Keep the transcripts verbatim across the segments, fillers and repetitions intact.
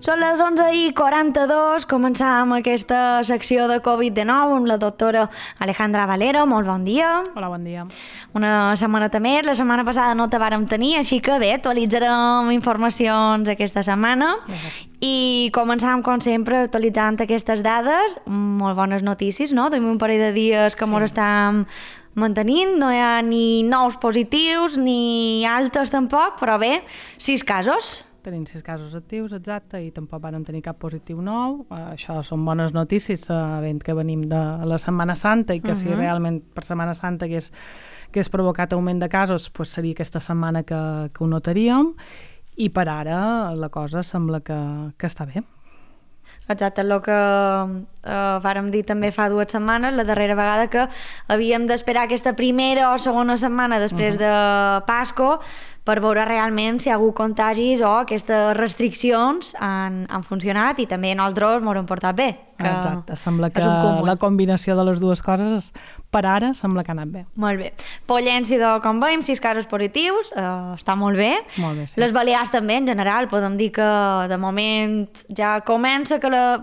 Són les onze i quaranta-dos, començam aquesta secció de covid dinou amb la doctora Alejandra Valero. Molt bon dia. Hola, bon dia. Una setmaneta més, la setmana passada no te vàrem tenir, així que bé, actualitzarem informacions aquesta setmana. I començam, com sempre, actualitzant aquestes dades, molt bones notícies, no? Tenim un parell de dies que sí. Ens estem mantenint, no hi ha ni nous positius ni altes tampoc, però bé, sis casos. Tenim sis casos actius, exacte, i tampoc van tenir cap positiu nou. Uh, això són bones notícies, sabent que venim de la Setmana Santa i que uh -huh. si realment per Setmana Santa hagués, hagués provocat augment de casos, pues seria aquesta setmana que, que ho notaríem, i per ara la cosa sembla que, que està bé. Exacte, el que eh, vàrem dir també fa dues setmanes, la darrera vegada, que havíem d'esperar aquesta primera o segona setmana després uh -huh. de Pasco per veure realment si hi ha hagut contagis o aquestes restriccions han, han funcionat, i també nosaltres m'ho hem portat bé. Que Exacte, sembla que la combinació de les dues coses per ara sembla que ha anat bé. Molt bé. Pollença, com veiem, sis casos positius, eh, està molt bé. Molt bé, sí. Les Balears també, en general, podem dir que de moment ja comença que la...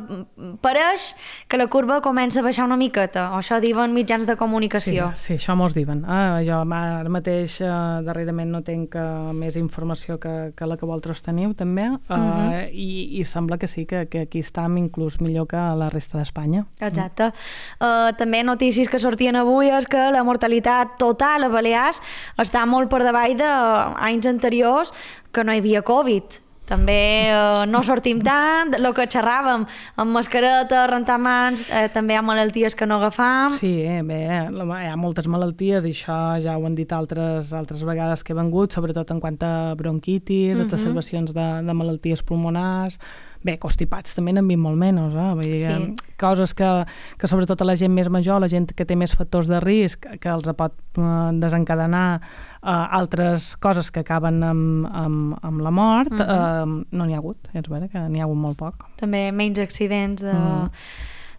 pareix que la curva comença a baixar una miqueta, o això diuen mitjans de comunicació. Sí, sí, això mos diuen. Ah, jo ara mateix eh, darrerament no tenc eh, més informació que, que la que vosaltres teniu també, eh, uh -huh. i, i sembla que sí, que, que aquí estem inclús millor que la resta d'Espanya. Exacte. Mm. Uh, també notícies que sortien avui és que la mortalitat total a Balears està molt per davall d'anys anteriors que no hi havia Covid. També eh, no sortim tant, el que xerràvem, amb mascareta, rentar mans, eh, també hi ha malalties que no agafam. Sí, eh, bé, hi ha moltes malalties, i això ja ho han dit altres, altres vegades que he vengut, sobretot en quant a bronquitis, uh-huh. exacerbacions de, de malalties pulmonars. Bé, constipats també n'han vist molt menys, eh? Vull dir, sí. Coses que, que sobretot a la gent més major, la gent que té més factors de risc, que els pot eh, desencadenar eh, altres coses que acaben amb, amb, amb la mort, uh-huh. eh, no n'hi ha hagut, és vera que n'hi ha hagut molt poc. També menys accidents de, uh-huh.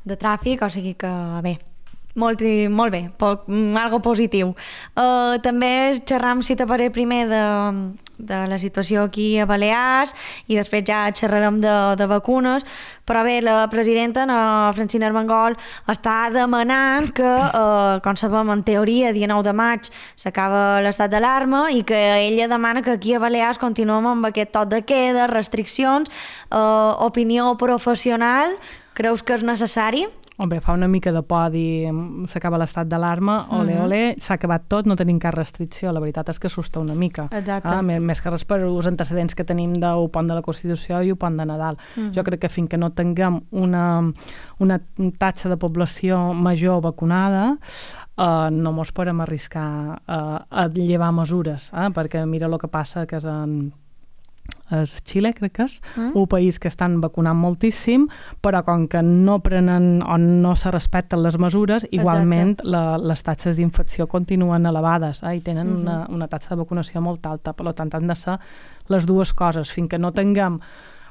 de tràfic, o sigui que bé, molt, molt bé, poc, algo positiu. Uh, també xerram, si t'aparé, primer de... de la situació aquí a Balears, i després ja xerrarem de, de vacunes, però bé, la presidenta, la Francina Armengol, està demanant que, eh, com sabem, en teoria, dia nou de maig s'acaba l'estat d'alarma, i que ella demana que aquí a Balears continuem amb aquest toc de queda, restriccions, eh, opinió professional. Creus que és necessari? Home, fa una mica de por dir s'acaba l'estat d'alarma, ole, ole, s'ha acabat tot, no tenim cap restricció. La veritat és que assusta una mica. Exacte. Ah, més que res per els antecedents que tenim del pont de la Constitució i el pont de Nadal. Uh-huh. Jo crec que fins que no tinguem una, una taxa de població major vacunada, uh, no mos podem arriscar uh, a llevar mesures, eh? Perquè mira el que passa, que és en... és Xile, crec que és, mm. un país que estan vacunant moltíssim, però com que no prenen o no se respecten les mesures, igualment la, les taxes d'infecció continuen elevades, eh, i tenen mm-hmm. una, una taxa de vacunació molt alta. Per tant, han de ser les dues coses. Fins que no tinguem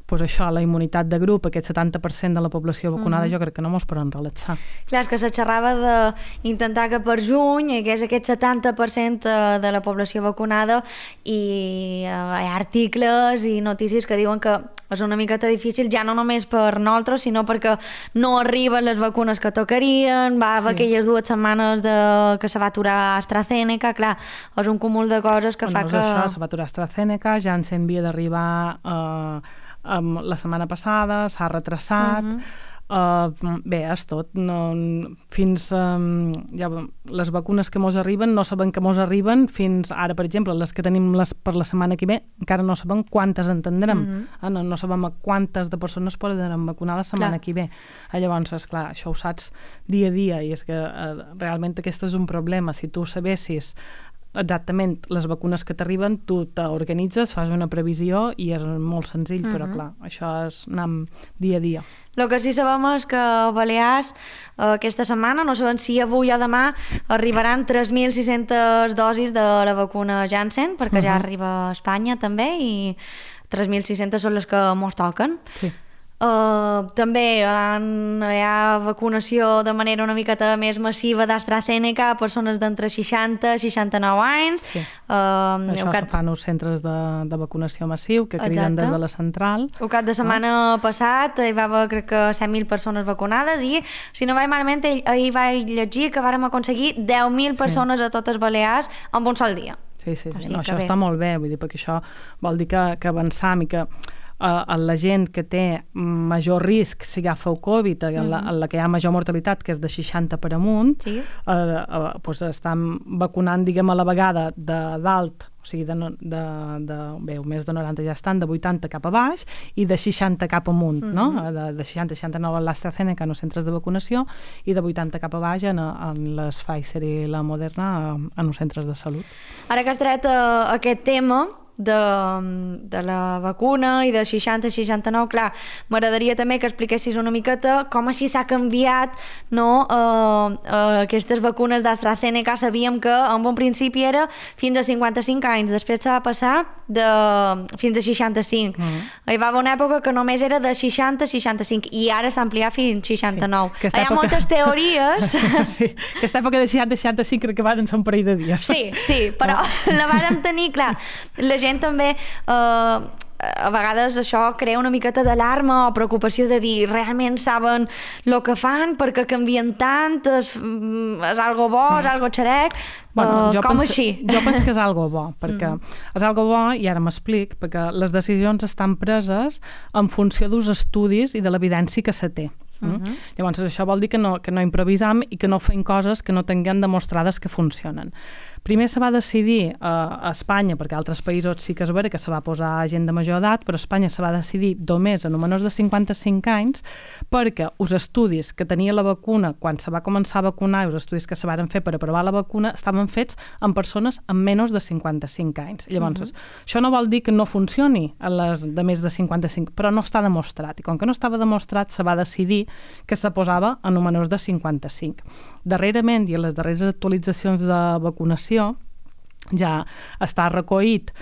pues això, la immunitat de grup, aquest setanta per cent de la població vacunada, mm-hmm. jo crec que no mos poden relaxar. Clar, és que se xerrava d'intentar que per juny hi hagués aquest setanta per cent de la població vacunada, i hi ha articles i notícies que diuen que és una miqueta difícil, ja no només per nosaltres, sinó perquè no arriben les vacunes que tocarien, va haver sí. aquelles dues setmanes de... que se va aturar AstraZeneca, clar, és un cúmul de coses que bueno, fa que... Això, se va aturar AstraZeneca, Janssen havia d'arribar eh, Um, la setmana passada, s'ha retrasat, uh-huh. uh, bé, és tot. No, fins um, ja, les vacunes que mos arriben, no sabem que mos arriben fins ara, per exemple, les que tenim les, per la setmana que ve, encara no sabem quantes en tindrem. Uh-huh. uh, no, no sabem a quantes de persones podran vacunar la setmana clar. que ve. Uh, llavors, esclar, això ho saps dia a dia, i és que uh, realment aquest és un problema. Si tu sabessis exactament les vacunes que t'arriben, tu t'organitzes, fas una previsió i és molt senzill, uh-huh. però clar, això és anar dia a dia. El que sí sabem és que a Balears eh, aquesta setmana, no sabem si avui o demà, arribaran tres mil sis-centes dosis de la vacuna Janssen, perquè uh-huh. ja arriba a Espanya també, i tres mil sis-centes són les que mos toquen. Sí. Uh, també han, hi ha vacunació de manera una miqueta més massiva d'AstraZeneca a persones d'entre seixanta i seixanta-nou anys. Sí. Uh, Això cap... se fan els centres de, de vacunació massiu que criden Exacte. des de la central. El cap de setmana ah. passat hi va haver, crec que, set mil persones vacunades i, si no vaig malament, ahir vaig llegir que vàrem aconseguir deu mil persones sí. a totes Balears en un sol dia. Sí, sí, sí. O sigui, no, això bé. està molt bé, vull dir, perquè això vol dir que, que avançam i que uh, la gent que té major risc si agafa el Covid, en la, en la que hi ha major mortalitat, que és de seixanta per amunt, sí. uh, uh, doncs estan vacunant, diguem, a la vegada de dalt, o sigui, de, de, de, bé, més de noranta ja estan, de vuitanta cap a baix i de seixanta cap amunt, mm-hmm. no? De, de seixanta a seixanta-nou a l'AstraZeneca en els centres de vacunació i de vuitanta cap a baix en, en les Pfizer i la Moderna en els centres de salut. Ara que has tret uh, aquest tema de, de la vacuna i de seixanta a seixanta-nou, clar, m'agradaria també que expliquessis una miqueta com així s'ha canviat, no? Uh, uh, aquestes vacunes d'AstraZeneca sabíem que en un principi era fins a cinquanta-cinc anys, després s'ha va passar de fins a seixanta-cinc. Mm-hmm. Hi va haver una època que només era de seixanta a seixanta-cinc i ara s'ha ampliat fins a seixanta-nou. Sí, hi ha època... moltes teories. Sí, aquesta època de seixanta a seixanta-cinc crec que van ser un parell de dies. Sí, sí, però no. la vàrem tenir, clar, la gent també eh, a vegades això crea una miqueta d'alarma o preocupació de dir realment saben el que fan perquè canvien tant, és, és algo bo, és algo xerec, bueno, uh, com penso, així? Jo penso que és algo bo, perquè mm. és algo bo, i ara m'explic, perquè les decisions estan preses en funció dels estudis i de l'evidència que se té. Mm? Uh-huh. Llavors això vol dir que no, que no improvisam i que no fem coses que no tinguem demostrades que funcionen. Primer se va decidir uh, a Espanya, perquè a altres països sí que és vera que se va posar gent de major edat, però a Espanya se va decidir només a menors de cinquanta-cinc anys perquè els estudis que tenia la vacuna quan se va començar a vacunar i els estudis que se van fer per aprovar la vacuna estaven fets en persones amb menys de cinquanta-cinc anys. Llavors, uh-huh. això no vol dir que no funcioni a les de més de cinquanta-cinc, però no està demostrat. I com que no estava demostrat, se va decidir que se posava en menors de cinquanta-cinc. Darrerament, i a les darreres actualitzacions de vacunació, ja està recollit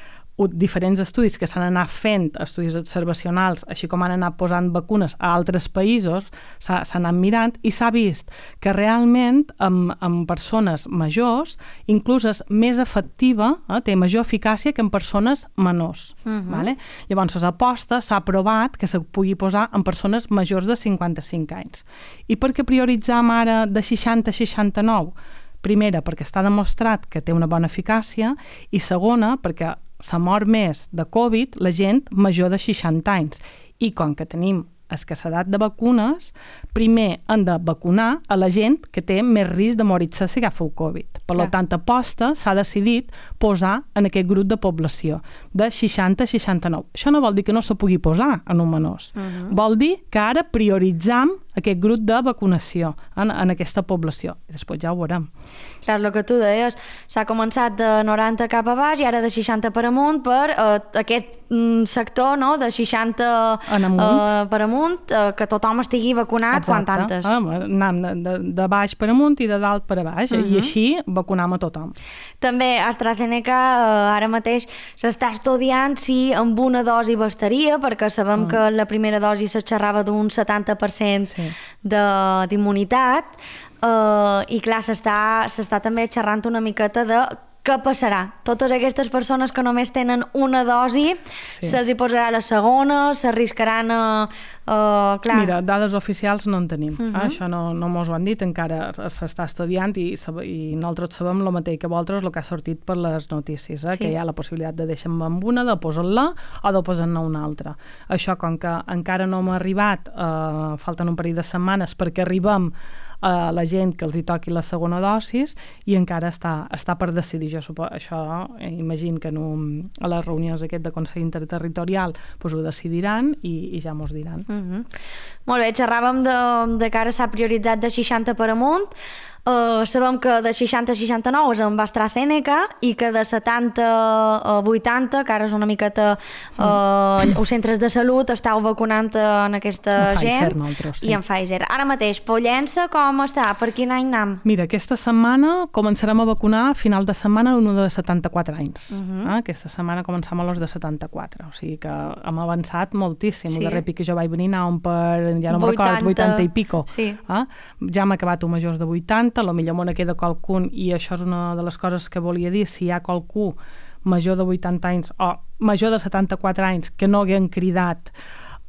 diferents estudis que s'han anat fent, estudis observacionals, així com han anat posant vacunes a altres països, s'ha anat mirant i s'ha vist que realment amb, amb persones majors inclús és més efectiva, eh, té major eficàcia que en persones menors. Uh-huh. Vale? Llavors, l'aposta s'ha provat que se pugui posar en persones majors de cinquanta-cinc anys. I per què prioritzam ara de seixanta a seixanta-nou? Primera, perquè està demostrat que té una bona eficàcia, i segona, perquè se mor més de Covid la gent major de seixanta anys. I com que tenim escassedat de vacunes, primer han de vacunar a la gent que té més risc de morir-se si agafa el Covid. Per Clar. Tant, aposta s'ha decidit posar en aquest grup de població de seixanta a seixanta-nou. Això no vol dir que no se pugui posar en un menors. Uh-huh. Vol dir que ara prioritzam aquest grup de vacunació en, en aquesta població. I després ja ho veurem. Clar, el que tu deies, s'ha començat de noranta cap a baix i ara de seixanta per amunt per eh, aquest mm, sector, no?, de seixanta eh, per amunt, eh, que tothom estigui vacunat. Exacte. Quan tantes. Ah, anem de, de, de baix per amunt i de dalt per a baix, uh-huh. i així vacunam a tothom. També AstraZeneca eh, ara mateix s'està estudiant si amb una dosi bastaria, perquè sabem uh-huh. que la primera dosi se xerrava d'un setanta per cent sí. d'immunitat. Uh, i clar, s'està s'està també xerrant una miqueta de què passarà. Totes aquestes persones que només tenen una dosi, sí. se'ls hi posarà la segona, s'arriscaran a... Uh, clar. Mira, dades oficials no en tenim. Uh-huh. eh? Això no, no mos ho han dit, encara s'està estudiant i, i nosaltres sabem el mateix que vosaltres, el que ha sortit per les notícies, eh? Sí. Que hi ha la possibilitat de deixar-me amb una, de posar-la o de posar-ne una altra. Això, com que encara no m'ha arribat, uh, falten un parell de setmanes perquè arribem a la gent que els hi toqui la segona dosis i encara està, està per decidir. Jo suposo, això, eh, imagino que en un, a les reunions aquest de Consell Interterritorial pues, ho decidiran i, i ja mos diran. Uh-huh. Molt bé, xerràvem de, de que ara s'ha prioritzat de seixanta per amunt. Uh, sabem que de seixanta a seixanta-nou és amb AstraZeneca i que de setanta a vuitanta, que ara és una miqueta uh, mm. els centres de salut estàu vacunant en aquesta en gent Pfizer, nosaltres, sí. I en Pfizer. Ara mateix, Pollença com està? Per quin any anem? Mira, aquesta setmana començarem a vacunar a final de setmana un de setanta-quatre anys. Uh -huh. eh? Aquesta setmana començam a los de setanta-quatre, o sigui que hem avançat moltíssim. Sí. El darrer pic que jo vaig venir anàvem per, ja no me'n recordo, vuitanta i pico. Sí. Eh? Ja hem acabat un majors de vuitanta, potser me ne queda qualcun, i això és una de les coses que volia dir, si hi ha qualcú major de vuitanta anys o major de setanta-quatre anys que no haguem cridat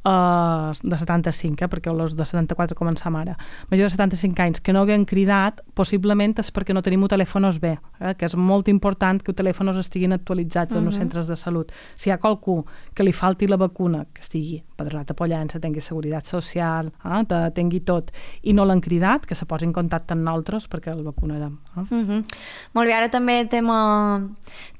Uh, de setanta-cinc, eh, perquè els de setanta-quatre començam ara, major de setanta-cinc anys que no haguem cridat, possiblement és perquè no tenim telèfons bé, eh, que és molt important que els telèfons estiguin actualitzats en els uh-huh. centres de salut. Si hi ha qualcú que li falti la vacuna, que estigui padronat a Pollença, tingui seguretat social, eh, tingui tot, i no l'han cridat, que se posi en contacte amb nosaltres perquè el vacunarem. Eh? Uh-huh. Molt bé, ara també tema,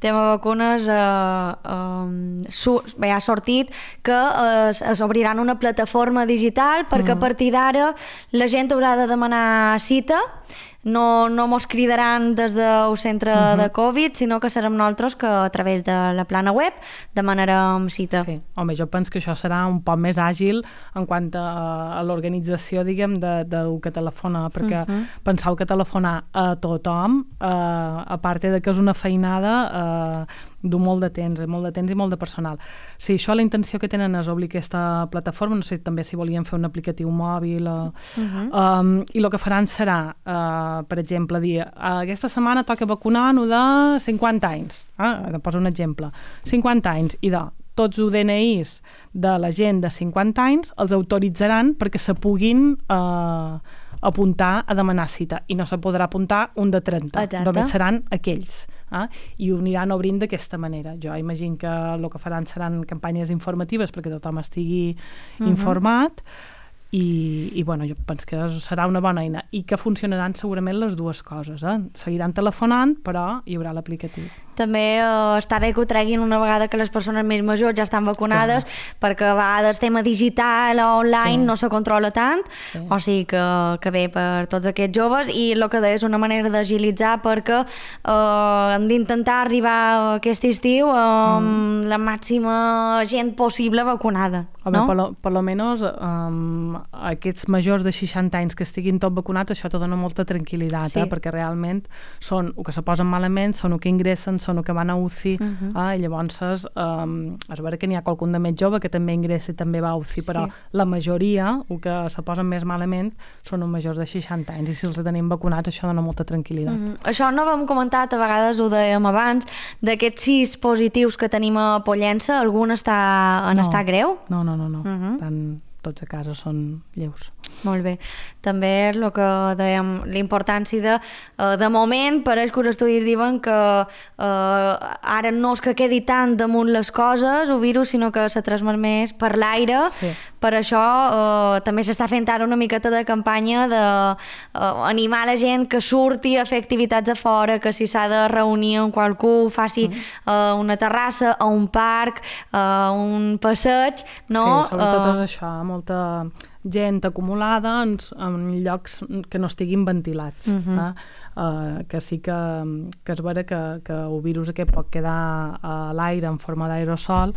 tema vacunes eh, eh, su, bé, ha sortit que eh, es obriran una plataforma digital perquè mm. a partir d'ara la gent haurà de demanar cita, no, no mos cridaran des del centre uh-huh. de Covid, sinó que serem nosaltres que a través de la plana web demanarem cita. Sí, home, jo penso que això serà un poc més àgil en quant a, a l'organització, diguem, de, de que telefona, perquè uh-huh. penseu que telefonar a tothom, eh, a part de que és una feinada, eh, du molt de temps, molt de temps i molt de personal. Si això la intenció que tenen és obrir aquesta plataforma, no sé també si volien fer un aplicatiu mòbil o, uh-huh. um, i el que faran serà uh, per exemple, dir aquesta setmana toca vacunar-nos de cinquanta anys, eh? Poso un exemple, cinquanta anys, i de tots els D N Is de la gent de cinquanta anys els autoritzaran perquè se puguin eh, apuntar a demanar cita, i no se podrà apuntar un de trenta. Exacte. Només seran aquells. Eh? I ho aniran obrint d'aquesta manera. Jo imagino que el que faran seran campanyes informatives perquè tothom estigui uh-huh. informat, i, i bueno, jo penso que serà una bona eina i que funcionaran segurament les dues coses. Eh? Seguiran telefonant, però hi haurà l'aplicatiu. També eh, està bé que ho treguin una vegada que les persones més majors ja estan vacunades, clar, perquè a vegades tema digital o online sí. no se controla tant, sí. o sigui que, que bé per tots aquests joves, i el que deia és una manera d'agilitzar perquè eh, hem d'intentar arribar aquest estiu amb mm. la màxima gent possible vacunada. Home, no? per, lo, per lo menos um, aquests majors de seixanta anys que estiguin tots vacunats, això te dona molta tranquil·litat, sí. eh? Perquè realment són el que se posen malament, són el que ingressen, són el que van a U C I, uh-huh. eh? I llavors um, es veure que n'hi ha qualcun de més jove que també ingressa i també va a U C I, sí. però la majoria, el que se posen més malament, són els majors de seixanta anys, i si els tenim vacunats això dona molta tranquil·litat. Uh-huh. Això no hem comentat, a vegades ho dèiem abans, d'aquests sis positius que tenim a Pollença, algun està en no. estat greu? No, no, no, no. Uh-huh. Tant tots a casa són lleus. Molt bé. També el que dèiem, l'importància de, de moment, pareix que els estudis diuen que eh, ara no és que quedi tant damunt les coses, el virus, sinó que se transmet més per l'aire. Sí. Per això eh, també s'està fent ara una miqueta de campanya d'animar eh, la gent que surti a fer activitats a fora, que si s'ha de reunir amb qualcú, faci uh-huh. eh, una terrassa, a un parc, a eh, un passeig, no? Sí, sobretot uh, és això, molta gent acumulada en, en llocs que no estiguin ventilats. Uh-huh. eh? Uh, que sí que, que és vera que, que el virus aquest pot quedar a l'aire en forma d'aerosol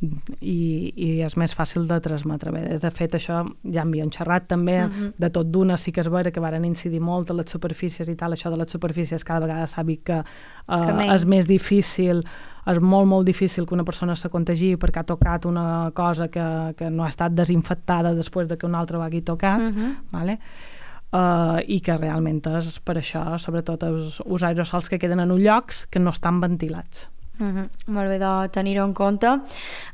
i, i és més fàcil de transmetre. Bé, de fet, això ja havíem xerrat també, uh-huh. de tot d'una sí que és vera que varen incidir molt a les superfícies i tal, això de les superfícies cada vegada s'ha vist que, uh, que és més difícil, és molt, molt difícil que una persona se contagi perquè ha tocat una cosa que, que no ha estat desinfectada després de que un altre ho hagi tocat, uh-huh. vale? Uh, i que realment és per això, sobretot els, els aerosols que queden en llocs que no estan ventilats. Uh-huh. Molt bé de tenir-ho en compte.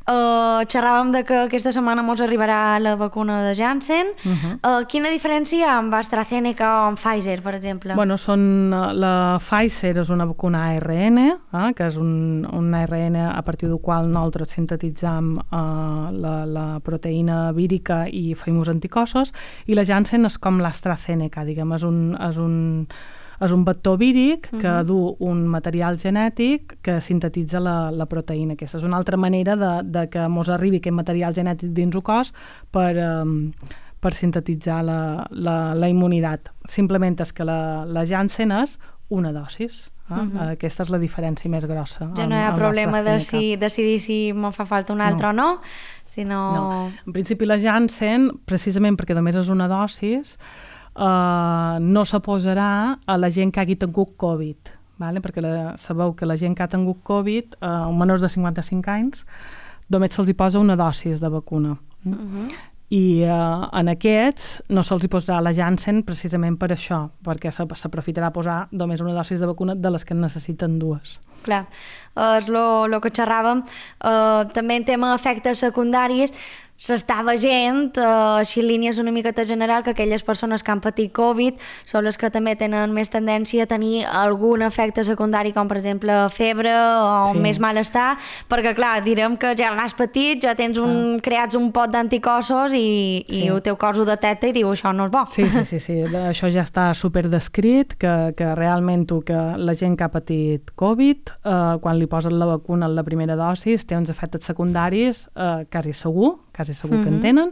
Uh, xerràvem de que aquesta setmana mos arribarà la vacuna de Janssen. Uh-huh. Uh, quina diferència hi ha amb AstraZeneca o amb Pfizer, per exemple? Bueno, són, la Pfizer és una vacuna A R N, eh, que és un, un A R N a partir del qual nosaltres sintetitzam uh, la, la proteïna vírica i feim uns anticossos, i la Janssen és com l'AstraZeneca, diguem, és un... És un és un vector víric que uh-huh. du un material genètic que sintetitza la, la proteïna. Aquesta és una altra manera de, de que mos arribi aquest material genètic dins el cos per, um, per per sintetitzar la, la, la immunitat. Simplement és que la, la Janssen és una dosis. Eh? Uh-huh. Aquesta és la diferència més grossa. Ja no hi ha problema de si, decidir si me'n fa falta una altra no. o no, sinó... No. En principi la Janssen, precisament perquè només és una dosis, eh, no s'aposarà a la gent que hagi tingut Covid. Vale? Perquè la, sabeu que la gent que ha tingut Covid, eh, menors de cinquanta-cinc anys, només se'ls hi posa una dosis de vacuna. Uh-huh. I eh, en aquests no se'ls hi posarà la Janssen precisament per això, perquè s'aprofitarà a posar només una dosis de vacuna de les que en necessiten dues. Clar, és el que xerràvem. Uh, també en tema d'efectes secundaris, s'està veient, eh, així en línies una miqueta general, que aquelles persones que han patit Covid són les que també tenen més tendència a tenir algun efecte secundari, com per exemple febre o sí. més malestar, perquè clar, direm que ja l'has patit, ja tens un, ah. creats un pot d'anticossos i, sí. i el teu cos ho detecta i diu això no és bo. Sí, sí, sí, sí. Això ja està super descrit, que, que realment tu, que la gent que ha patit Covid, eh, quan li posen la vacuna en la primera dosis, té uns efectes secundaris eh, quasi segur, quasi segur que en tenen,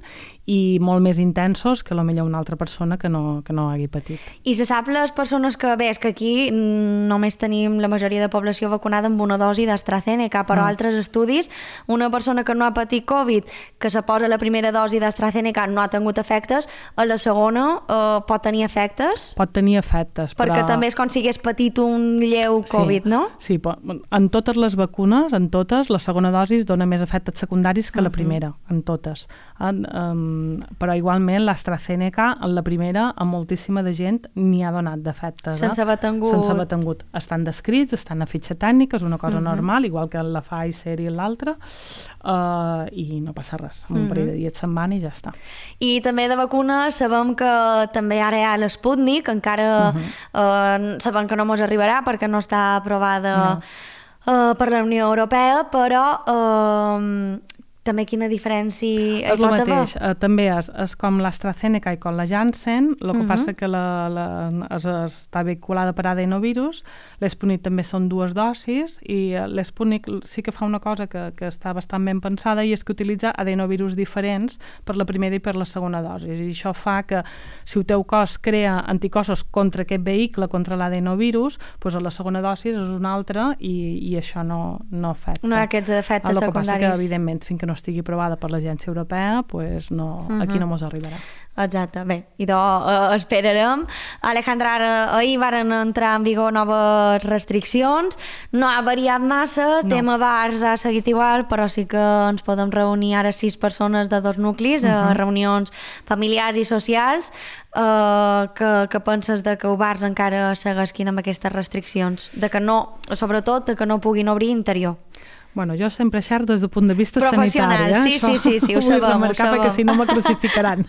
i molt més intensos que potser una altra persona que no, que no hagi patit. I se sap les persones que, bé, és que aquí només tenim la majoria de població vacunada amb una dosi d'AstraZeneca, però ah. altres estudis, una persona que no ha patit Covid, que se posa la primera dosi d'AstraZeneca, no ha tingut efectes, a la segona eh, pot tenir efectes? Pot tenir efectes, però... Perquè també és com si hagués patit un lleu Covid, sí. no? Sí, en totes les vacunes, en totes, la segona dosi dona més efectes secundaris que uh-huh. la primera, en totes. En, um, però igualment l'AstraZeneca en la primera a moltíssima de gent n'hi ha donat d'efectes. Sense haver tingut. Sense haver tingut. Estan descrits, estan a fitxa tècnica, és una cosa uh-huh. normal, igual que la Pfizer i l'altra, uh, i no passa res. En un uh-huh. parell de dies se'n van i ja està. I també de vacunes sabem que també ara hi ha l'Sputnik, encara uh-huh. uh, sabem que no mos arribarà perquè no està aprovada no. uh, per la Unió Europea, però... Uh, també quina diferència és el mateix, uh, també és, és com l'AstraZeneca i com la Janssen, el que uh-huh. passa que la, la, es, està vinculada per adenovirus, l'Sputnik també són dues dosis i l'Sputnik sí que fa una cosa que, que està bastant ben pensada i és que utilitza adenovirus diferents per la primera i per la segona dosi, i això fa que si el teu cos crea anticossos contra aquest vehicle, contra l'adenovirus, doncs a la segona dosi és una altra i, i això no, no afecta. No hi ha aquests efectes el secundaris. El que passa que, evidentment, fins que no estigui aprovada per l'Agència Europea, pues no, uh-huh. aquí no mos arribarà. Exacte, bé, i doncs uh, esperarem. Alejandra, ara, ahir varen entrar en vigor noves restriccions, no ha variat massa, el no. tema bars ha seguit igual, però sí que ens podem reunir ara sis persones de dos nuclis, uh-huh. a reunions familiars i socials. Uh, que, que penses de que els bars encara segueixin amb aquestes restriccions? De que no, sobretot, de que no puguin obrir interior. Bueno, jo sempre xerro des del punt de vista sanitari. Eh? Sí, sí, sí, sí, ho sabem. Vull remarcar perquè si no me crucificaran.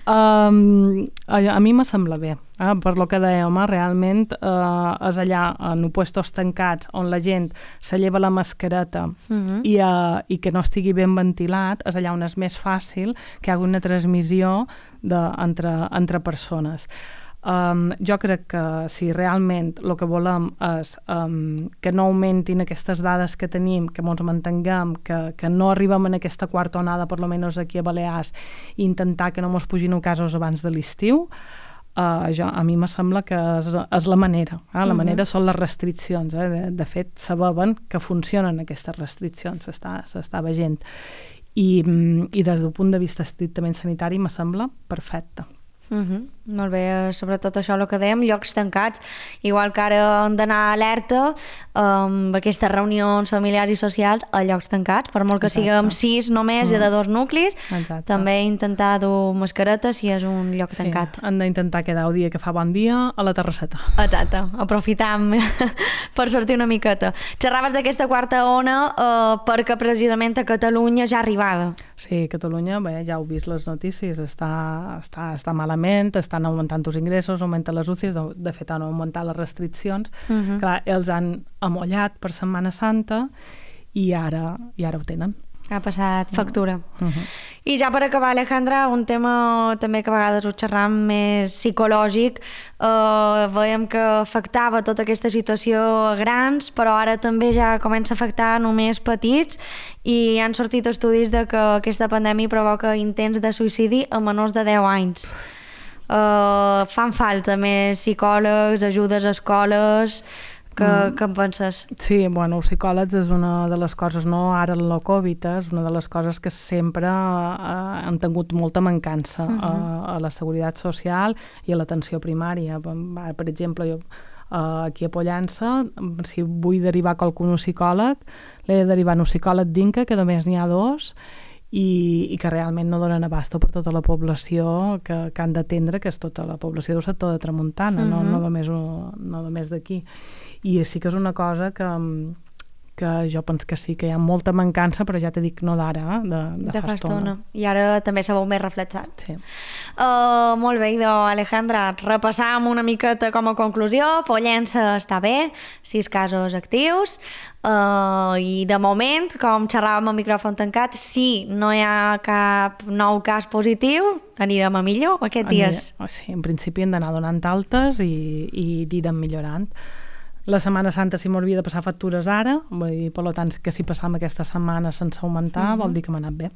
um, a, a mi me sembla bé, eh? Per lo que dèiem, eh? realment uh, és allà en puestos tancats on la gent se lleva la mascareta uh-huh. i, uh, i que no estigui ben ventilat, és allà on és més fàcil que hi hagi una transmissió de, entre, entre persones. Um, jo crec que si realment el que volem és um, que no augmentin aquestes dades que tenim, que ens mantinguem, que, que no arribem en aquesta quarta onada, per lo menos aquí a Balears, i intentar que no ens pugin casos abans de l'estiu, uh, jo, a mi me sembla que és, és la manera. Eh? La manera uh-huh. són les restriccions. Eh? De, de fet, saben que funcionen aquestes restriccions, s'està veient. I, I des del punt de vista estrictament sanitari me sembla perfecte. Uh-huh. Molt bé, sobretot això el que dèiem, llocs tancats, igual que ara hem d'anar alerta amb aquestes reunions familiars i socials a llocs tancats, per molt que Exacte. Siguem sis només mm. i de dos nuclis. Exacte. També intentar dur mascareta si és un lloc sí, tancat. Han d'intentar quedar el dia que fa bon dia a la terrasseta. Exacte, aprofitam per sortir una miqueta. Xerraves d'aquesta quarta ona eh, perquè precisament a Catalunya ja arribada. Sí, Catalunya, bé, ja heu vist les notícies, està, està, està malament, estan augmentant els ingressos, augmenten les U C Is, de, de fet han augmentat les restriccions. Uh-huh. Clar, els han amollat per Setmana Santa i ara, i ara ho tenen. ha passat factura. Uh -huh. I ja per acabar, Alejandra, un tema també que a vegades ho xerram més psicològic. Uh, veiem que afectava tota aquesta situació a grans, però ara també ja comença a afectar només petits, i han sortit estudis de que aquesta pandèmia provoca intents de suïcidi a menors de deu anys. Uh, fan falta més psicòlegs, ajudes a escoles. Que, mm. Què en penses? Sí, bueno, els psicòlegs és una de les coses, no ara en la Covid, és una de les coses que sempre eh, han tingut molta mancança uh -huh. a, a la seguretat social i a l'atenció primària. Per exemple, jo eh, aquí a Pollença, si vull derivar qualcun a un psicòleg, l'he de derivar a un psicòleg d'Inca, que només n'hi ha dos, i, i que realment no donen abasto per tota la població que, que han d'atendre, que és tota la població del sector de Tramuntana, uh -huh. no, no només, no només d'aquí. I sí que és una cosa que, que jo penso que sí, que hi ha molta mancança, però ja t'he dit no d'ara, eh? de, de, de fa estona. I ara també s'ha veu més reflexat. Sí. Uh, molt bé, idò, Alejandra, repassam una miqueta com a conclusió. Pollença està bé, sis casos actius, uh, i de moment, com xerràvem a micròfon tancat, si no hi ha cap nou cas positiu, anirem a millor aquests dies. Sí, en principi hem d'anar donant altes i, i anirem millorant. La Setmana Santa si m'hauria de passar factures ara, vull dir, per tant, que si passam aquesta setmana sense augmentar, uh -huh. vol dir que m'ha anat bé.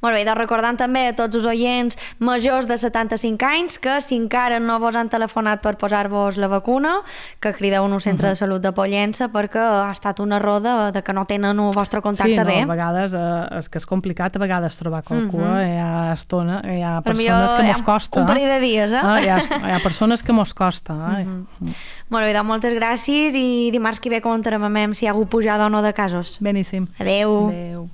Molt bé, doncs recordant també a tots els oients majors de setanta-cinc anys que si encara no vos han telefonat per posar-vos la vacuna, que crideu en un centre uh -huh. de salut de Pollença, perquè ha estat una roda de que no tenen el vostre contacte sí, bé. Sí, no, a vegades eh, és que és complicat a vegades trobar qualcú, uh -huh. hi ha estona, hi ha per persones que mos costa. Un parell de dies, eh? Ah, hi, ha, hi ha persones que mos costa. Eh? Uh -huh. uh -huh. Molt bé, doncs moltes gràcies, i dimarts que ve comentarem si hi ha hagut pujada o no de casos. Beníssim. Adeu. Adeu.